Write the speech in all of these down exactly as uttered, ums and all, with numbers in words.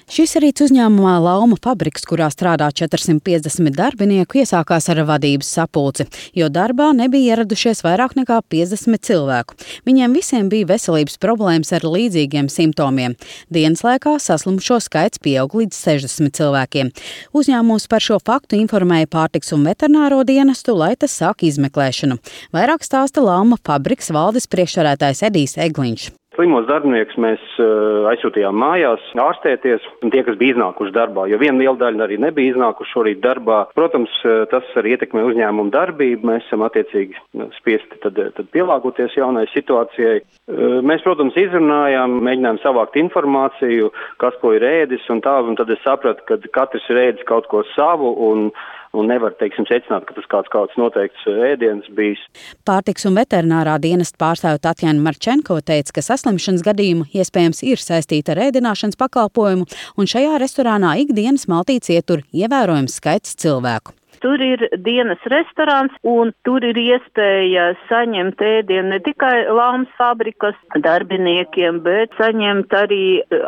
Šis rīts uzņēmumā Lauma fabriks, kurā strādā četrsimt piecdesmit darbinieku, iesākās ar vadības sapulci, jo darbā nebija ieradušies vairāk nekā piecdesmit cilvēku. Viņiem visiem bija veselības problēmas ar līdzīgiem simptomiem. Dienas laikā saslimušo skaits pieaug līdz sešdesmit cilvēkiem. Uzņēmums par šo faktu informēja Pārtiks un veterināro dienestu, lai tas sāk izmeklēšanu. Vairāk stāsta Lauma fabriks valdes priekšsēdētājs Edijs Egliņš. Slimos darbiniekus mēs uh, aizsūtījām mājās ārstēties, un tie, kas bija iznākuši darbā, jo viena liela daļa arī nebija iznākuši šorīt darbā. Protams, uh, tas arī ietekmē uzņēmumu darbību, mēs esam attiecīgi spiesti tad, tad pielāgoties jaunai situācijai. Uh, mēs, protams, izrunājām, mēģinājām savākt informāciju, kas ko ir ēdis un tā, un tad es sapratu, ka katrs ir ēdis kaut ko savu, un un nevar, teiksim, secināt, ka tas kāds kāds noteikts ēdiens bijis. Pārtiks un veterinārā dienesta pārstāve Tatjana Marčenko teica, ka saslimšanas gadījumu iespējams ir saistīta ar ēdināšanas pakalpojumu, un šajā restorānā ikdienas maltītes ietur ievērojams skaits cilvēku. Tur ir dienas restorāns, un tur ir iespēja saņemt ēdienu ne tikai Laumas fabrikas darbiniekiem, bet saņemt arī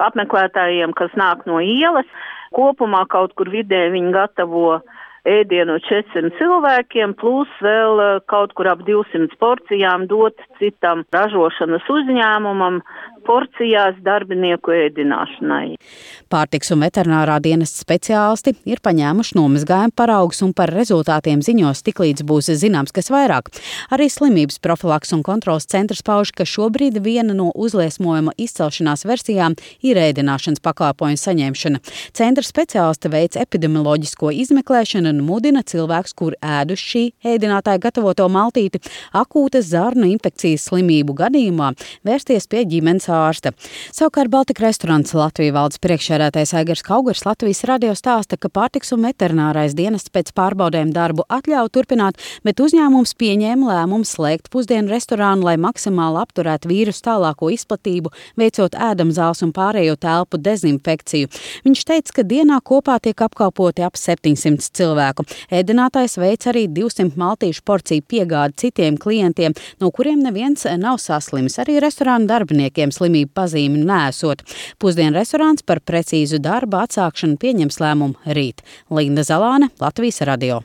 apmeklētājiem, kas nāk no ielas. Kopumā kaut kur vidē viņi gatavo ēdienu četrsimt cilvēkiem, plus vēl kaut kur ap divsimt porcijām dot citam ražošanas uzņēmumam porcijās darbinieku ēdināšanai. Pārtiks un veterinārā dienesta speciālisti ir paņēmuši nomazgājumu paraugus un par rezultātiem ziņos tiklīdz būs zināms, kas vairāk. Arī slimības profilaks un kontrolas centrs pauž, ka šobrīd viena no uzliesmojuma izcelšanās versijām ir ēdināšanas pakalpojumu saņemšana. Centra speciālisti veic epidemioloģisko izmeklēšanu un mudina cilvēkus, kur ēduši šī ēdinātāja gatavoto maltīti, akūtas zarnu infekcijas slimību gadījumā vērsties pie ģimenes ārsta. Savukārt Baltika restorāns Latvijas valdes priekšsēdētājs Aigars Kaugars Latvijas radio stāsta, ka pārtiks un veterinārais dienests pēc pārbaudēm darbu atļauj turpināt, bet uzņēmums pieņēma lēmumu slēgt pusdienu restorānu, lai maksimāli apturētu vīrusu tālāko izplatību, veicot ēdamzāles un pārējo telpu dezinfekciju. Viņš teica, ka dienā kopā tiek apkalpoti ap septiņsimt cilvēku. Ēdinātājs veic arī divsimt maltīšu porciju piegādi citiem klientiem, no kuriem neviens nav saslimis. Arī restorānu darbiniekiem slimību pazīmi neesot. Pusdienu restorāns par precīzu darba atsākšanu pieņems lēmumu rīt. Linda Zalāne, Latvijas radio.